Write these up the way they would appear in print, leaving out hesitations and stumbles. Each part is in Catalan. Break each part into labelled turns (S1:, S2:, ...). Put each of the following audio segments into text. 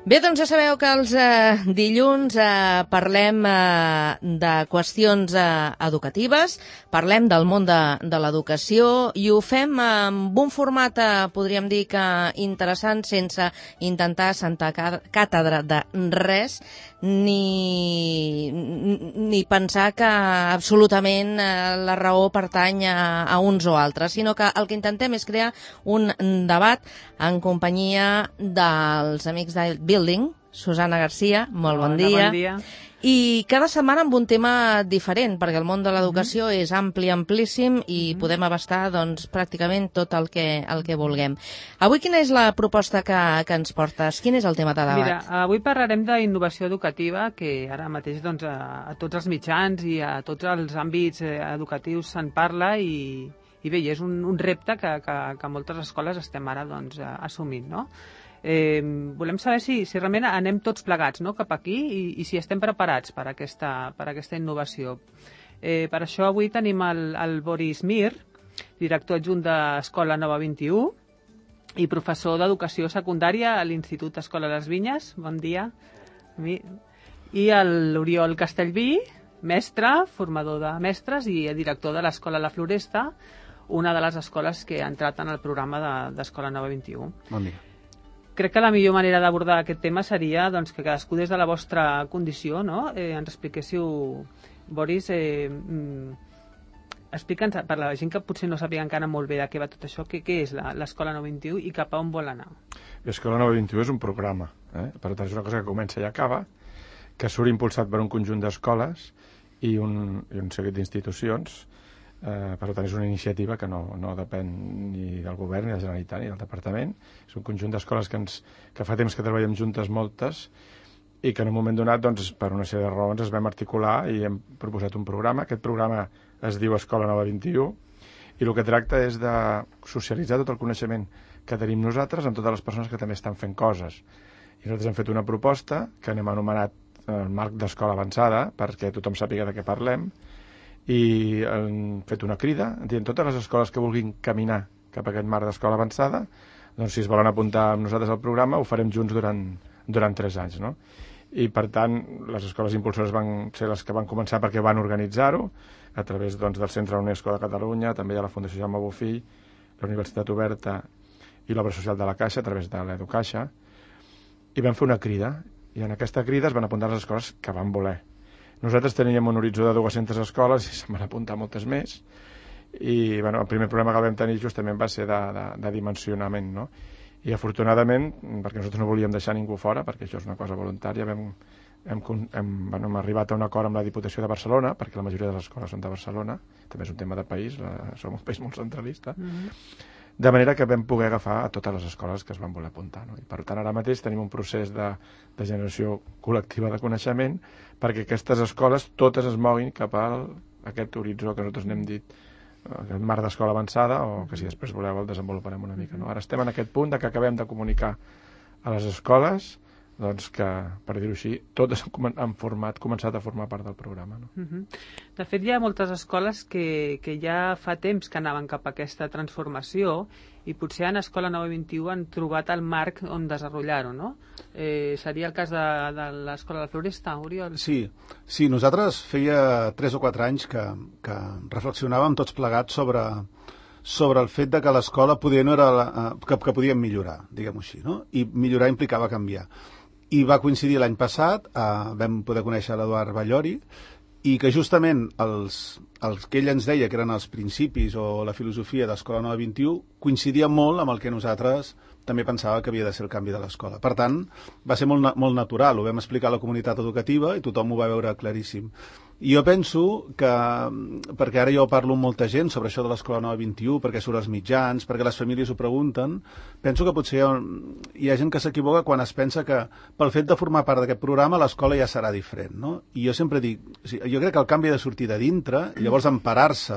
S1: Bé, doncs ja sabeu que els dilluns parlem de qüestions educatives, parlem del món de l'educació i ho fem amb un format, podríem dir que interessant, sense intentar sentar càtedra de res, ni pensar que absolutament la raó pertany a uns o altres, sinó que el que intentem és crear un debat en companyia dels amics de Building. Susana Garcia, molt bon dia.
S2: Bon dia.
S1: I cada setmana amb un tema diferent, perquè el món de l'educació és ampli, amplíssim, i podem abastar doncs, pràcticament tot el que vulguem. Avui quina és la proposta que ens portes? Quin és el tema de debat?
S2: Mira, avui parlarem d'innovació educativa, que ara mateix doncs, a tots els mitjans i a tots els àmbits educatius se'n parla i bé, és un repte que moltes escoles estem ara doncs, assumint, no? Volem saber si realment anem tots plegats, no?, cap aquí i si estem preparats per aquesta innovació. Per això avui tenim el Boris Mir, director adjunt d'Escola Nova 21 i professor d'Educació Secundària a l'Institut Escola Les Vinyes. Bon dia. I l'Oriol Castellví, mestre, formador de mestres i director de l'Escola La Floresta, una de les escoles que ha entrat en el programa d'Escola Nova 21.
S3: Bon dia.
S2: Crec que la millor manera d'abordar aquest tema seria doncs, que cadascú des de la vostra condició, no? Ens expliquéssiu, Boris, explica'ns, per la gent que potser no sàpiga encara molt bé de què va tot això, què és l'Escola 921 i cap a on vol anar?
S3: L'Escola 921 és un programa, per tant és una cosa que comença i acaba, que surt impulsat per un conjunt d'escoles i un seguit d'institucions. Per tant, és una iniciativa que no depèn ni del govern, ni de la Generalitat, ni del Departament. És un conjunt d'escoles que fa temps que treballem juntes moltes i que en un moment donat, doncs, per una sèrie de raons, es vam articular i hem proposat un programa. Aquest programa es diu Escola Nova 21 i el que tracta és de socialitzar tot el coneixement que tenim nosaltres amb totes les persones que també estan fent coses. I nosaltres hem fet una proposta que hem anomenat el marc d'escola avançada perquè tothom sàpiga de què parlem, i han fet una crida dient totes les escoles que vulguin caminar cap a aquest marc d'escola avançada, doncs si es volen apuntar amb nosaltres al programa ho farem junts durant 3 anys, no? I per tant les escoles impulsores van ser les que van començar perquè van organitzar-ho a través doncs, del Centre UNESCO de Catalunya, també hi ha la Fundació Jaume Bofill, la Universitat Oberta i l'Obra Social de la Caixa a través de l'Educaixa, i van fer una crida i en aquesta crida es van apuntar les escoles que van voler. Nosaltres teníem un horitzó de 200 escoles i se'n van apuntar moltes més i bueno, el primer problema que vam tenir justament va ser de dimensionament, no? I afortunadament, perquè nosaltres no volíem deixar ningú fora, perquè això és una cosa voluntària, hem arribat a un acord amb la Diputació de Barcelona, perquè la majoria de les escoles són de Barcelona, també és un tema de país, som un país molt centralista, de manera que vam poder agafar a totes les escoles que es van voler apuntar, no? I per tant ara mateix tenim un procés de generació col·lectiva de coneixement perquè aquestes escoles totes es moguin cap a aquest horitzó que nosaltres n'hem dit aquest marc d'escola avançada, o que si després voleu el desenvoluparem una mica, no? Ara estem en aquest punt de que acabem de comunicar a les escoles doncs que, per dir-ho així, totes han començat a formar part del programa, no?
S2: De fet, hi ha moltes escoles que ja fa temps que anaven cap a aquesta transformació i potser en Escola Nova 21 han trobat el marc on desenvolupar-ho, no? Seria el cas de l'Escola de la Floresta, Oriol?
S4: Sí, nosaltres feia 3 o 4 anys que reflexionàvem tots plegats sobre el fet de que l'escola que podíem millorar, diguem-ho així, no? I millorar implicava canviar. I va coincidir l'any passat, vam poder conèixer l'Eduard Ballori, i que justament els que ell ens deia que eren els principis o la filosofia d'Escola Nova 21 coincidia molt amb el que nosaltres també pensava que havia de ser el canvi de l'escola. Per tant, va ser molt natural, ho vam explicar a la comunitat educativa i tothom ho va veure claríssim. I jo penso que, perquè ara jo parlo amb molta gent sobre això de l'Escola Nova 21, perquè surt als mitjans, perquè les famílies ho pregunten, penso que potser hi ha gent que s'equivoca quan es pensa que pel fet de formar part d'aquest programa l'escola ja serà diferent, no? I jo sempre dic, jo crec que el canvi ha de sortir de dintre i llavors emparar-se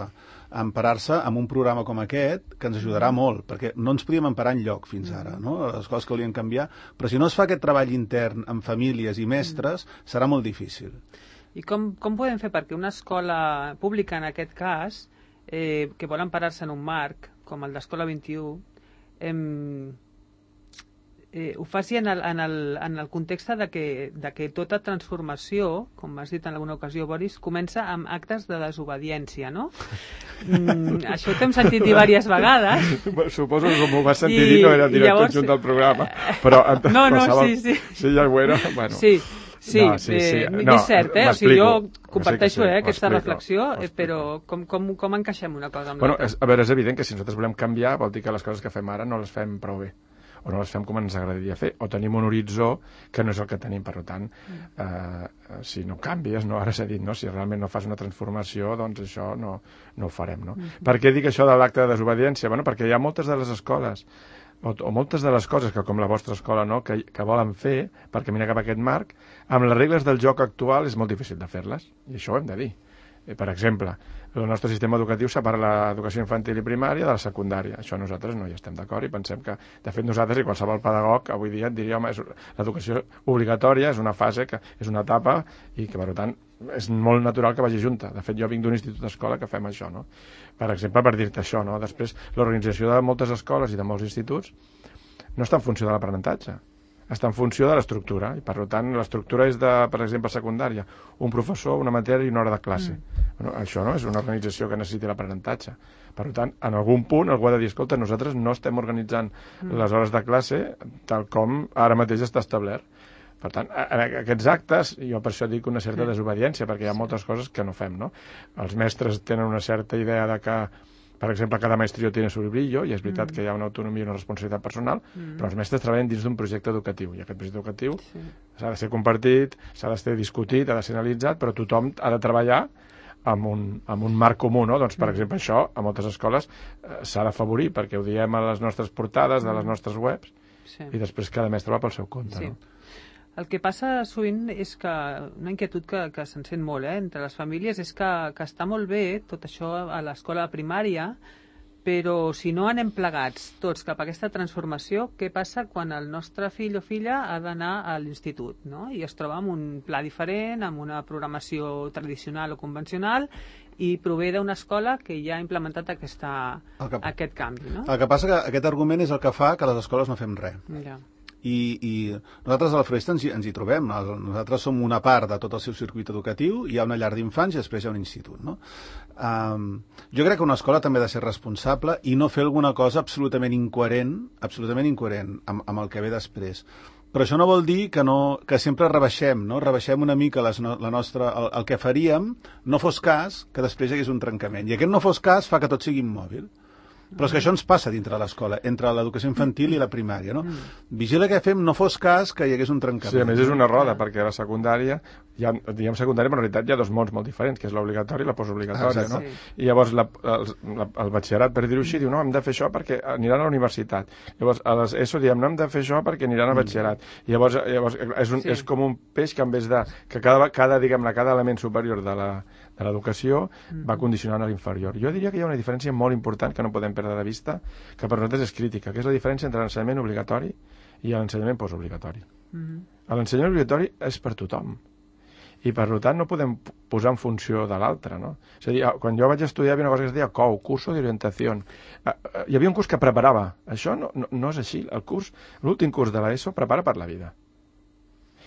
S4: amb un programa com aquest que ens ajudarà molt, perquè no ens podíem emparar enlloc fins ara, no? Les coses que volien canviar, però si no es fa aquest treball intern amb famílies i mestres serà molt difícil.
S2: I com podem fer perquè una escola pública, en aquest cas, que vol emparar-se en un marc com el d'Escola 21, ho faci en el context de que tota transformació, com has dit en alguna ocasió, Boris, comença amb actes de desobediència, no? Això t'hem sentit dir diverses vegades.
S3: Suposo que com ho vas sentir dir no era director adjunt del programa, però...
S2: Sí.
S3: Sí, ja ho era, bueno...
S2: Sí, és cert, o sigui, jo comparteixo aquesta reflexió, però com encaixem una cosa amb l'altra?
S3: A veure, és evident que si nosaltres volem canviar vol dir que les coses que fem ara no les fem prou bé, o no les fem com ens agradaria fer, o tenim un horitzó que no és el que tenim. Per tant, si no canvies, no, ara s'ha dit, no? Si realment no fas una transformació, doncs això no ho farem, no? Per què dic això de l'acte de desobediència? Bueno, perquè hi ha moltes de les escoles o moltes de les coses que, com la vostra escola, no, que volen fer per caminar cap a aquest marc, amb les regles del joc actual és molt difícil de fer-les, i això ho hem de dir. Per exemple, el nostre sistema educatiu separa l'educació infantil i primària de la secundària. Això nosaltres no hi estem d'acord i pensem que, de fet, nosaltres i qualsevol pedagog avui dia et diria, home, l'educació obligatòria és una fase, és una etapa i que, per tant, és molt natural que vagi junta. De fet, jo vinc d'un institut d'escola que fem això, no? Per exemple, per dir-te això, no? Després, l'organització de moltes escoles i de molts instituts no està en funció de l'aprenentatge, està en funció de l'estructura, i per tant l'estructura és de, per exemple, secundària, un professor, una matèria i una hora de classe. Bueno, això no és una organització que necessiti l'aprenentatge. Per tant, en algun punt algú ha de dir, escolta, nosaltres no estem organitzant les hores de classe tal com ara mateix està establert. Per tant, en aquests actes, jo per això dic una certa desobediència, perquè hi ha moltes coses que no fem, no? Els mestres tenen una certa idea de que, per exemple, cada maestrillo tiene su librillo, i és veritat que hi ha una autonomia i una responsabilitat personal, però els mestres treballen dins d'un projecte educatiu, i aquest projecte educatiu s'ha de ser compartit, s'ha de ser discutit, ha de ser analitzat, però tothom ha de treballar amb un marc comú, no? Doncs, per exemple, això a moltes escoles s'ha d'afavorir, perquè ho diem a les nostres portades de les nostres webs, i després cada mestre va pel seu compte, no?
S2: El que passa sovint és que una inquietud que se'n sent molt entre les famílies és que està molt bé tot això a l'escola primària, però si no anem plegats tots cap a aquesta transformació, què passa quan el nostre fill o filla ha d'anar a l'institut, no? I es troba amb un pla diferent, amb una programació tradicional o convencional, i prové d'una escola que ja ha implementat aquest canvi, no?
S4: El que passa que aquest argument és el que fa que les escoles no fem res.
S2: Ja.
S4: I nosaltres a la Floresta ens hi trobem. Nosaltres som una part de tot el seu circuit educatiu, hi ha una llar d'infants i després hi ha un institut, no? Jo crec que una escola també ha de ser responsable i no fer alguna cosa absolutament incoherent amb el que ve després. Però això no vol dir que sempre rebaixem, no? Rebaixem una mica el que faríem, no fos cas que després hi hagués un trencament. I aquest no fos cas fa que tot sigui immòbil. Però és que això ens passa dintre de l'escola, entre l'educació infantil i la primària, no? Vigila que fem, no fos cas que hi hagués un trencament.
S3: Sí, a més és una roda, perquè a la secundària, diguem secundària, però en realitat hi ha dos mons molt diferents, que és l'obligatori i la postobligatòria, no? I llavors el batxillerat, per dir-ho així, diu, no, hem de fer això perquè aniran a la universitat. Llavors, a les ESO diem, no, hem de fer això perquè aniran al batxillerat. I llavors és com un peix que en vez de... que cada element superior de l'educació va condicionant a l'inferior. Jo diria que hi ha una diferència molt important que no podem perdre de vista, que per nosaltres és crítica, que és la diferència entre l'ensenyament obligatori i l'ensenyament postobligatori. L'ensenyament obligatori és per tothom, i per tant no podem posar en funció de l'altre, no? És a dir, quan jo vaig estudiar hi havia una cosa que es deia COU, Curso de Orientación. Hi havia un curs que preparava. Això no és així. L'últim curs de l'ESO prepara per la vida.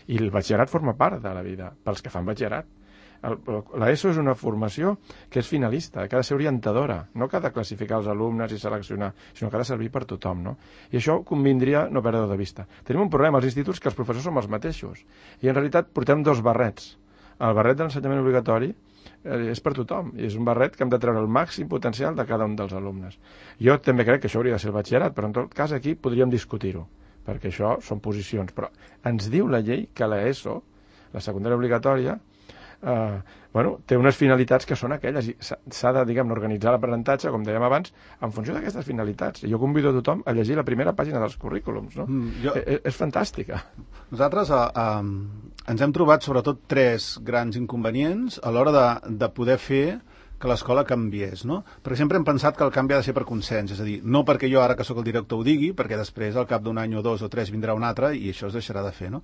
S3: I el batxillerat forma part de la vida, pels que fan batxillerat. L'ESO és una formació que és finalista, que ha de ser orientadora, no que ha de classificar els alumnes i seleccionar, sinó que ha de servir per tothom, no? I això convindria no perdre de vista. Tenim un problema als instituts que els professors som els mateixos, i en realitat portem dos barrets. El barret de l'ensenyament obligatori és per tothom, i és un barret que hem de treure el màxim potencial de cada un dels alumnes. Jo també crec que això hauria de ser el batxillerat, però en tot cas aquí podríem discutir-ho, perquè això són posicions. Però ens diu la llei que l'ESO, la secundària obligatòria, té unes finalitats que són aquelles, i s'ha de, organitzar l'aprenentatge, com dèiem abans, en funció d'aquestes finalitats. I jo convido a tothom a llegir la primera pàgina dels currículums, no? És fantàstica.
S4: Nosaltres ens hem trobat sobretot tres grans inconvenients a l'hora de poder fer que l'escola canviés, no? Perquè sempre hem pensat que el canvi ha de ser per consens, és a dir, no perquè jo ara que sóc el director ho digui, perquè després al cap d'un any o dos o tres vindrà un altre i això es deixarà de fer, no?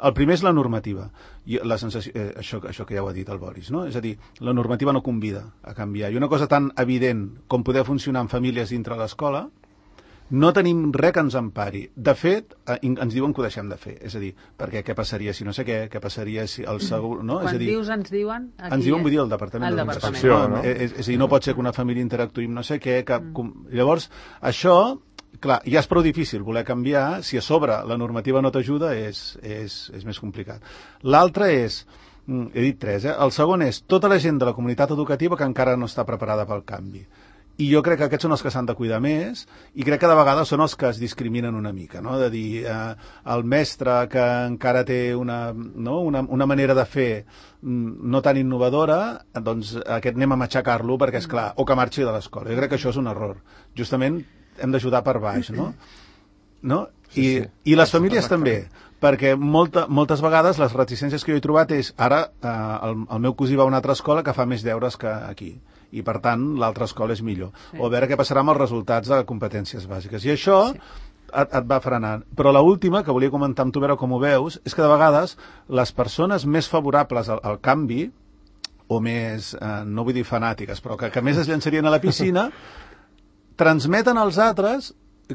S4: El primer és la normativa, i la sensació, això que ja ho ha dit el Boris, no? És a dir, la normativa no convida a canviar, i una cosa tan evident com poder funcionar en famílies dintre l'escola No tenim res que ens empari. De fet, ens diuen que ho deixem de fer. És a dir, perquè què passaria si no sé què passaria si el segur... No?
S2: Quan
S4: és a dir,
S2: dius ens diuen...
S4: Ens diuen, vull dir, el Departament
S3: d'Educació, no?
S4: És a dir, no pot ser que una família interactuï amb no sé què... Llavors, això... Clar, ja és prou difícil voler canviar, si a sobre la normativa no t'ajuda és més complicat. L'altre és, he dit 3, el segon és tota la gent de la comunitat educativa que encara no està preparada pel canvi. I jo crec que aquests són els que s'han de cuidar més i crec que de vegades són els que es discriminen una mica, no? De dir, el mestre que encara té una manera de fer no tan innovadora, doncs aquest anem a matxacar-lo perquè, és clar, o que marxi de l'escola. Jo crec que això és un error. Justament hem d'ajudar per baix, no?
S3: Sí.
S4: I les famílies també, perquè moltes vegades les reticències que jo he trobat és ara el meu cosí va a una altra escola que fa més deures que aquí i per tant l'altra escola és millor, o a veure què passarà amb els resultats de competències bàsiques, i això et va frenant. Però l'última que volia comentar amb tu, veure com ho veus, és que de vegades les persones més favorables al canvi, o més, no vull dir fanàtiques, però que més es llançarien a la piscina, transmeten als altres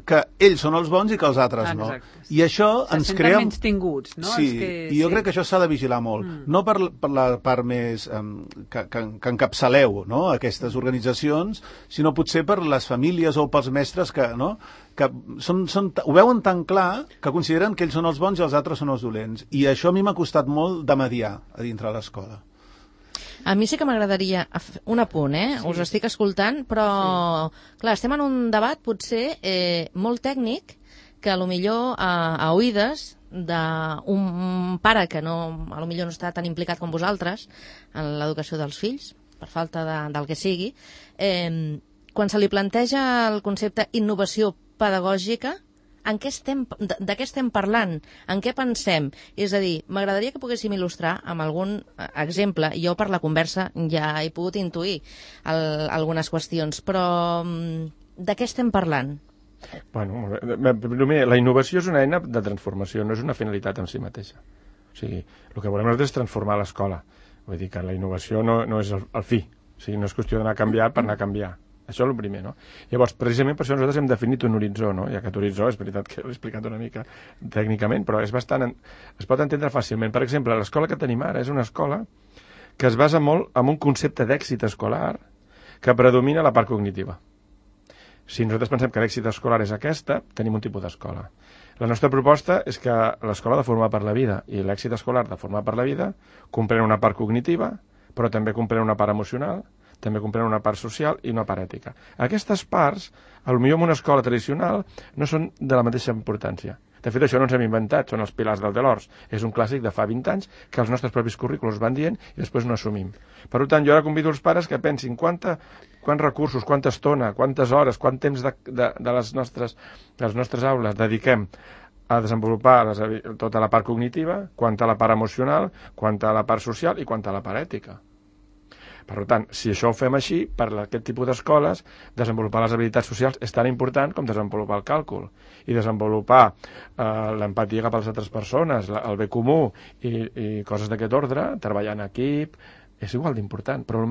S4: que ells són els bons i que els altres no. I això ens crea...
S2: Se senten menys tinguts, no?
S4: Sí, i jo crec que això s'ha de vigilar molt. No per la part més que encapçaleu, no?, aquestes organitzacions, sinó potser per les famílies o pels mestres que ho veuen tan clar que consideren que ells són els bons i els altres són els dolents. I això a mi m'ha costat molt de mediar a dintre l'escola.
S1: A mi sí que m'agradaria un apunt, Sí. Us estic escoltant, però, clar, estem en un debat potser molt tècnic que potser a oïdes d'un pare que potser no està tan implicat com vosaltres en l'educació dels fills, per falta del que sigui, quan se li planteja el concepte innovació pedagògica, de què estem parlant? En què pensem? És a dir, m'agradaria que poguéssim il·lustrar amb algun exemple. Jo per la conversa ja he pogut intuir algunes qüestions, però de què estem parlant?
S3: Bueno, primer, la innovació és una eina de transformació, no és una finalitat en si mateixa. O sigui, el que volem nosaltres és transformar l'escola. Vull dir que la innovació no és el fi. O sigui, no és qüestió d'anar a canviar per anar a canviar. Això és el primer, no? Llavors, precisament per això nosaltres hem definit un horitzó, no? I aquest horitzó, és veritat que l'he explicat una mica tècnicament, però es pot entendre fàcilment. Per exemple, l'escola que tenim ara és una escola que es basa molt en un concepte d'èxit escolar que predomina la part cognitiva. Si nosaltres pensem que l'èxit escolar és aquesta, tenim un tipus d'escola. La nostra proposta és que l'escola ha de formar per la vida i l'èxit escolar de formar per la vida comprèn una part cognitiva, però també comprèn una part emocional, també comprèn una part social i una part ètica. Aquestes parts, potser en una escola tradicional, no són de la mateixa importància. De fet, això no ens hem inventat, són els pilars del Delors. És un clàssic de fa 20 anys que els nostres propis currículums van dient i després no assumim. Per tant, jo ara convido els pares que pensin quants recursos, quanta estona, quantes hores, quant temps de les nostres aules dediquem a desenvolupar tota la part cognitiva, quant a la part emocional, quant a la part social i quant a la part ètica. Per tant, si això ho fem així, per aquest tipus d'escoles, desenvolupar les habilitats socials és tan important com desenvolupar el càlcul. I desenvolupar l'empatia cap a les altres persones, el bé comú i coses d'aquest ordre, treballar en equip, és igual d'important. Però el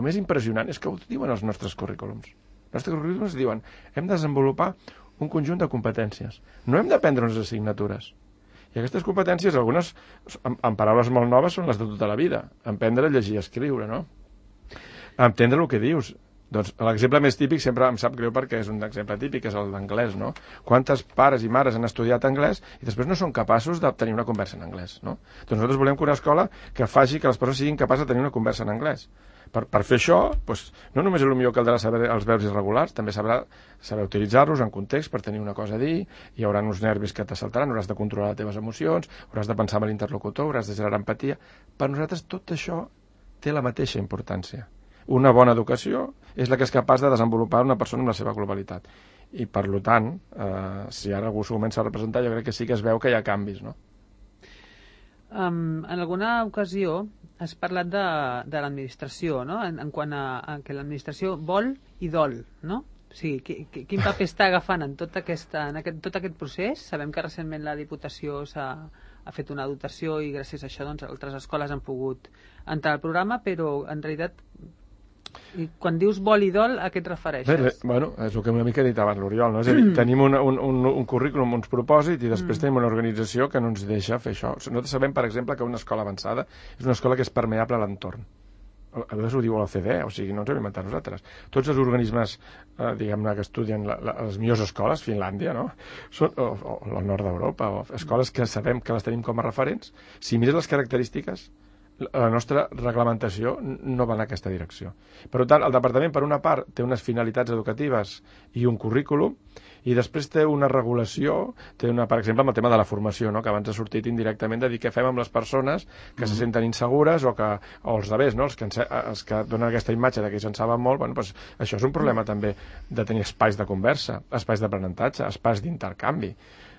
S3: més impressionant és que ho diuen els nostres currículums. Els nostres currículums diuen hem de desenvolupar un conjunt de competències. No hem d'aprendre unes assignatures. I aquestes competències, algunes, en paraules molt noves, són les de tota la vida. Aprendre a llegir i escriure, no? Entendre el que dius. Doncs l'exemple més típic sempre em sap greu perquè és un exemple típic, és el d'anglès, no? Quantes pares i mares han estudiat anglès i després no són capaços de tenir una conversa en anglès, no? Doncs nosaltres volem que una escola que faci que les persones siguin capaces de tenir una conversa en anglès. Per fer això, doncs, no només potser caldrà saber els verbs irregulars, també saber utilitzar-los en context per tenir una cosa a dir, hi haurà uns nervis que t'assaltaran, hauràs de controlar les teves emocions, hauràs de pensar en l'interlocutor, hauràs de generar empatia. Per nosaltres tot això té la mateixa importància. Una bona educació és la que és capaç de desenvolupar una persona en la seva globalitat. I, per tant, si ara algú s'ho comença a representar, jo crec que sí que es veu que hi ha canvis, no?
S2: En alguna ocasió has parlat de l'administració, no? En quant a que l'administració vol i dol, no? O sigui, quin paper està agafant en tot aquest procés? Sabem que recentment la Diputació ha fet una dotació i gràcies a això doncs, altres escoles han pogut entrar al programa, però en realitat I quan dius vol i dol, a què et refereixes?
S3: Bueno, és el que una mica he dit abans l'Oriol, no? És a dir, tenim un currículum, uns propòsits, i després tenim una organització que no ens deixa fer això. Nosaltres sabem, per exemple, que una escola avançada és una escola que és permeable a l'entorn. A vegades ho diu l'OCDE, o sigui, no ens ho hem inventat nosaltres. Tots els organismes, diguem-ne, que estudien les millors escoles, Finlàndia, no? O el nord d'Europa, o escoles que sabem que les tenim com a referents. Si mires les característiques, la nostra reglamentació no va en aquesta direcció. Per tant, el departament, per una part, té unes finalitats educatives i un currículum, i després té una regulació, per exemple, amb el tema de la formació, no? Que abans ha sortit indirectament de dir què fem amb les persones que se senten insegures o els altres, no? Els que donen aquesta imatge de que se'n saben molt. Bueno, doncs això és un problema també de tenir espais de conversa, espais d'aprenentatge, espais d'intercanvi.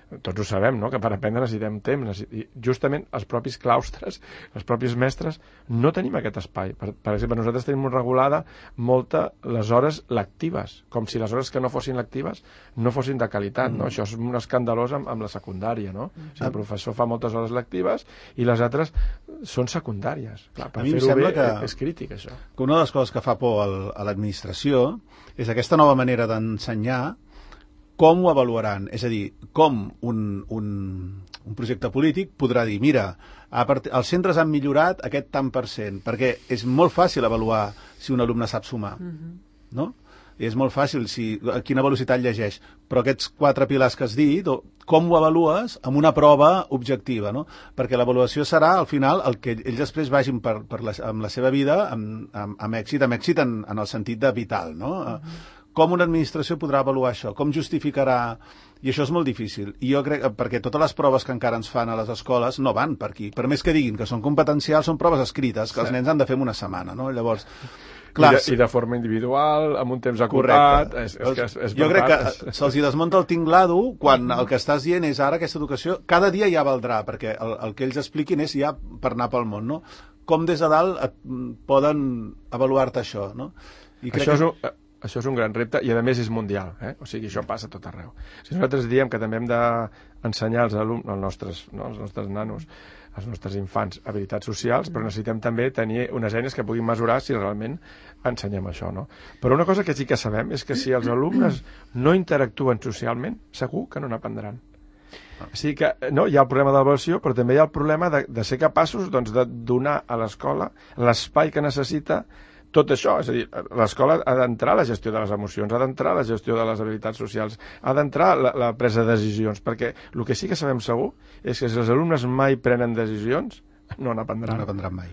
S3: Tots ho sabem, no? Que per aprendre necessitem temps. I justament els propis claustres, els propis mestres, no tenim aquest espai. Per exemple, nosaltres tenim regulada les hores lectives, com si les hores que no fossin lectives no fossin de qualitat, no? Això és un escandalós amb la secundària, no? O sigui, el professor fa moltes hores lectives i les altres són secundàries. Clar, per fer-ho bé és crític, això.
S4: Que una de les coses que fa por a l'administració és aquesta nova manera d'ensenyar. Com ho avaluaran? És a dir, com un projecte polític podrà dir, mira, els centres han millorat aquest tant per cent, perquè és molt fàcil avaluar si un alumne sap sumar, no? I és molt fàcil a quina velocitat llegeix, però aquests 4 pilars que has dit, com ho avalues amb una prova objectiva, no? Perquè l'avaluació serà, al final, el que ells després vagin amb la seva vida amb èxit en el sentit de vital, no? Com una administració podrà avaluar això? Com justificarà? I això és molt difícil. I jo crec, perquè totes les proves que encara ens fan a les escoles no van per aquí. Per més que diguin que són competencials, són proves escrites, que els nens han de fer en una setmana, no? Llavors, clar,
S3: I de forma individual, amb un temps acotat.
S4: Jo crec que se'ls desmunta el tinglado quan el que estàs dient és ara aquesta educació, cada dia ja valdrà, perquè el que ells expliquin és ja per anar pel món, no? Com des de dalt poden avaluar-te això, no? I crec
S3: Això és un gran repte i, a més, és mundial. O sigui, això passa a tot arreu. Si nosaltres diem que també hem d'ensenyar als nostres nanos, als nostres infants, habilitats socials, però necessitem també tenir unes eines que puguin mesurar si realment ensenyem això, no? Però una cosa que sí que sabem és que si els alumnes no interactuen socialment, segur que no n'aprendran. O sigui que no, hi ha el problema de l'avaluació, però també hi ha el problema de ser capaços de donar a l'escola l'espai que necessita tot això. És a dir, l'escola ha d'entrar a la gestió de les emocions, ha d'entrar a la gestió de les habilitats socials, ha d'entrar a la presa de decisions, perquè el que sí que sabem segur és que si els alumnes mai prenen decisions, no n'aprendran.
S4: No n'aprendran mai.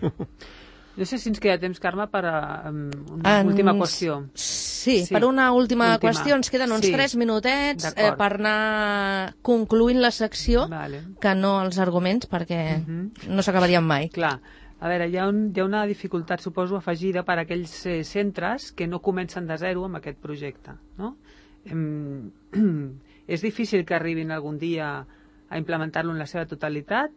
S2: No sé si ens queda temps, Carme, per una última qüestió.
S1: Sí, per una última qüestió. Ens queden uns 3 minutets per anar concluint la secció, que no els arguments, perquè no s'acabarien mai.
S2: Clar. A veure, hi ha una dificultat, suposo, afegida per a aquells centres que no comencen de zero amb aquest projecte, no? És difícil que arribin algun dia a implementar-lo en la seva totalitat?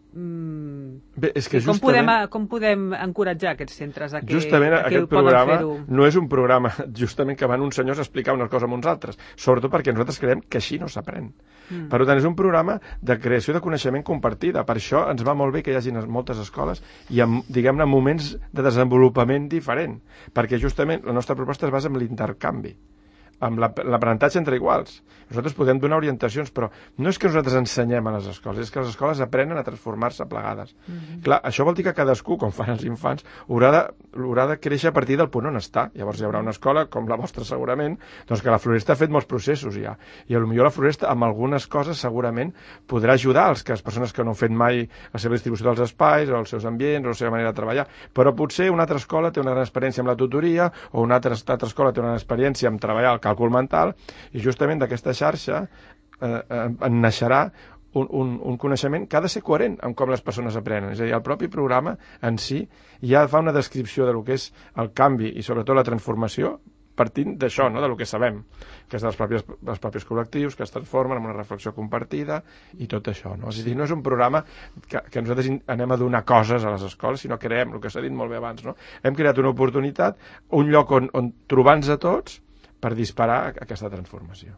S3: Bé, és que
S2: com podem encoratjar aquests centres a que
S3: aquest programa no és un programa justament que van uns senyors a explicar una cosa a uns altres, sobretot perquè nosaltres creiem que així no s'aprèn. Per tant, és un programa de creació de coneixement compartida. Per això ens va molt bé que hi hagi moltes escoles i amb, diguem-ne, moments de desenvolupament diferent, perquè justament la nostra proposta es basa en l'intercanvi, amb l'aprenentatge entre iguals. Nosaltres podem donar orientacions, però no és que nosaltres ensenyem a les escoles, és que les escoles aprenen a transformar-se plegades. Clar, això vol dir que cadascú, com fan els infants, haurà de créixer a partir del punt on està. Llavors hi haurà una escola, com la vostra segurament, doncs que la Floresta ha fet molts processos ja. I potser la Floresta, amb algunes coses, segurament podrà ajudar les persones que no han fet mai la seva distribució dels espais, o els seus ambients, o la seva manera de treballar. Però potser una altra escola té una gran experiència amb la tutoria, o una altra escola té una gran experiència amb treballar el càlcul mental, i justament d'aquesta xarxa en naixerà un coneixement que ha de ser coherent amb com les persones aprenen. És a dir, el propi programa en si ja fa una descripció del que és el canvi i sobretot la transformació partint d'això, no? De lo que sabem, que és dels propis col·lectius que es transformen en una reflexió compartida i tot això, no? És a dir, no és un programa que nosaltres anem a donar coses a les escoles, sinó que creem, el que s'ha dit molt bé abans, no? Hem creat una oportunitat, un lloc on trobar-nos a tots per disparar aquesta transformació.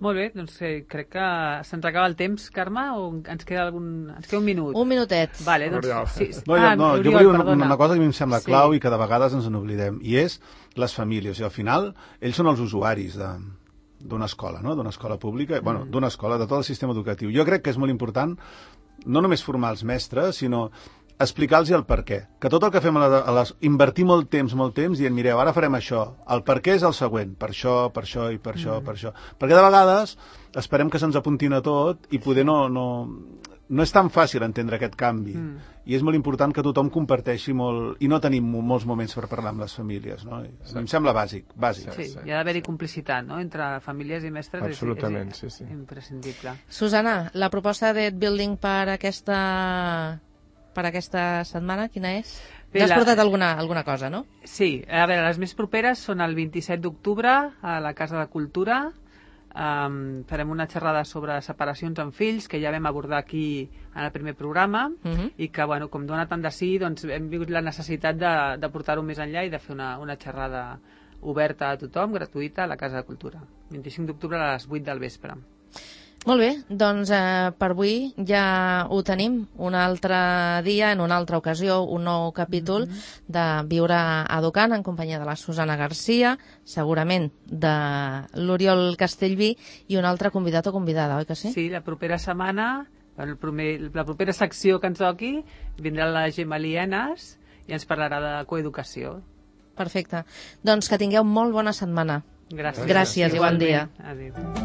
S2: Molt bé, doncs crec que se'ns acaba el temps, Carme, o ens queda un minut?
S1: Un minutet.
S2: Vale, doncs, sí.
S4: Jo volia una cosa que a mi em sembla clau i que de vegades ens n'oblidem, i és les famílies. I al final, ells són els usuaris d'una escola, no? D'una escola pública, bueno, d'una escola, de tot el sistema educatiu. Jo crec que és molt important no només formar els mestres, sinó explicar-los el per què. Que tot el que fem invertir molt temps dient, mireu, ara farem això. El per què és el següent. Per això i per això, per això. Perquè de vegades esperem que se'ns apuntin a tot i poder no és tan fàcil entendre aquest canvi. I és molt important que tothom comparteixi molt i no tenim molts moments per parlar amb les famílies. No? Em sembla bàsic.
S2: Sí, hi ha d'haver-hi complicitat, no?, entre famílies i mestres.
S3: Absolutament,
S2: és imprescindible.
S1: Susana, la proposta d'Ed Building per aquesta setmana, quina és? Ja has portat alguna cosa, no?
S2: Sí, a veure, les més properes són el 27 d'octubre a la Casa de Cultura. Farem una xerrada sobre separacions amb fills, que ja vam abordar aquí en el primer programa, i que, bueno, com dona tant de sí, doncs hem vingut la necessitat de portar-ho més enllà i de fer una xerrada oberta a tothom, gratuïta, a la Casa de Cultura. 25 d'octubre a les 8 del vespre.
S1: Molt bé, doncs per avui ja ho tenim. Un altre dia, en una altra ocasió, un nou capítol de Viure Educant en companyia de la Susana Garcia, segurament de l'Oriol Castellví i un altre convidat o convidada, oi que sí?
S2: Sí, la propera setmana, la propera secció que ens toqui, vindrà la Gemma Lienas i ens parlarà de coeducació.
S1: Perfecte. Doncs que tingueu molt bona setmana.
S2: Gràcies.
S1: Gràcies i bon dia.
S2: Adéu.